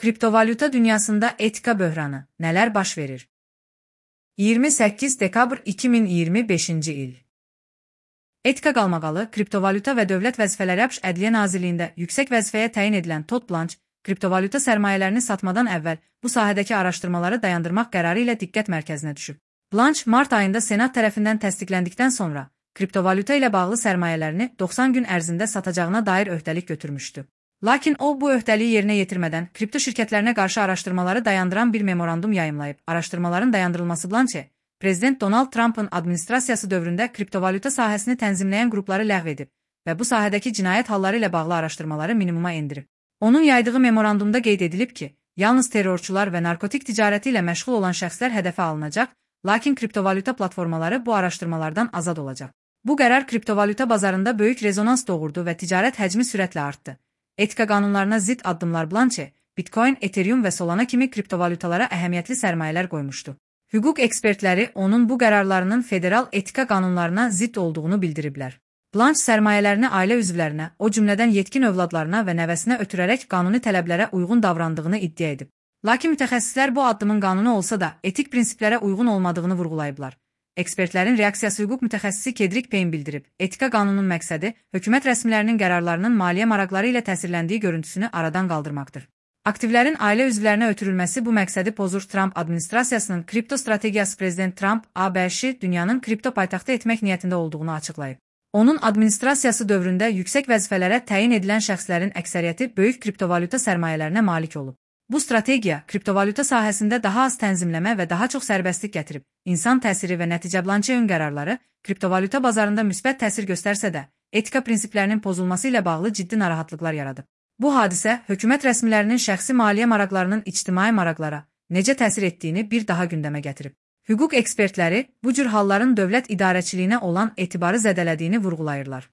Kriptovalyuta dünyasında etika böhranı, nələr baş verir? 28 dekabr 2025-ci il. Etika qalmaqalı, kriptovalyuta və dövlət vəzifələri ABŞ Ədliyyə Nazirliyində yüksək vəzifəyə təyin edilən Todd Blanche, kriptovalyuta sərmayələrini satmadan əvvəl bu sahədəki araşdırmaları dayandırmaq qərarı ilə diqqət mərkəzinə düşüb. Blanche, mart ayında Senat tərəfindən təsdiqləndikdən sonra, kriptovalyuta ilə bağlı sərmayələrini 90 gün ərzində satacağına dair öhdəlik götürmüşdü. Lakin o, bu öhdəliyi yerinə yetirmədən, kripto şirkətlərinə qarşı araşdırmaları dayandıran bir memorandum yayımlayıb. Araşdırmaların dayandırılması Blanche, Prezident Donald Trump'ın administrasiyası dövründə kriptovalyuta sahəsini tənzimləyən qrupları ləğv edib və bu sahədəki cinayət halları ilə bağlı araşdırmaları minimuma endirib. Onun yaydığı memorandumda qeyd edilib ki, yalnız terrorçular və narkotik ticarəti ilə məşğul olan şəxslər hədəfə alınacaq, lakin kriptovalyuta platformaları bu araşdırmalardan azad olacaq. Bu qərar kriptovalyuta bazarında böyük rezonans doğurdu və ticarət həcmi sürətlə artdı. Etika qanunlarına zidd addımlar Blanche, Bitcoin, Ethereum və Solana kimi kriptovalyutalara əhəmiyyətli sərmayələr qoymuşdu. Hüquq ekspertləri onun bu qərarlarının federal etika qanunlarına zidd olduğunu bildiriblər. Blanche sərmayələrini ailə üzvlərinə, o cümlədən yetkin övladlarına və nəvəsinə ötürərək qanuni tələblərə uyğun davrandığını iddia edib. Lakin mütəxəssislər bu addımın qanuni olsa da etik prinsiplərə uyğun olmadığını vurğulayıblar. Ekspertlərin reaksiyası hüquq mütəxəssisi Kedrick Payne bildirib. Etika qanunun məqsədi hökumət rəsmilərinin qərarlarının maliyyə maraqları ilə təsirləndiyi görüntüsünü aradan qaldırmaqdır. Aktivlərin ailə üzvlərinə ötürülməsi bu məqsədi pozur. Trump administrasiyasının kripto strategiyası Prezident Trump ABŞ dünyanın kripto paytaxtı etmək niyyətində olduğunu açıqlayıb. Onun administrasiyası dövründə yüksək vəzifələrə təyin edilən şəxslərin əksəriyyəti böyük kriptovalyuta sərmayələrinə malik olub. Bu strategiya kriptovalyuta sahəsində daha az tənzimləmə və daha çox sərbəstlik gətirib. İnsan təsiri və nəticə Blanche-ın qərarları kriptovalyuta bazarında müsbət təsir göstərsə də, etika prinsiplərinin pozulması ilə bağlı ciddi narahatlıqlar yaradıb. Bu hadisə hökumət rəsmilərinin şəxsi maliyyə maraqlarının ictimai maraqlara necə təsir etdiyini bir daha gündəmə gətirib. Hüquq ekspertləri bu cür halların dövlət idarəçiliyinə olan etibarı zədələdiyini vurğulayırlar.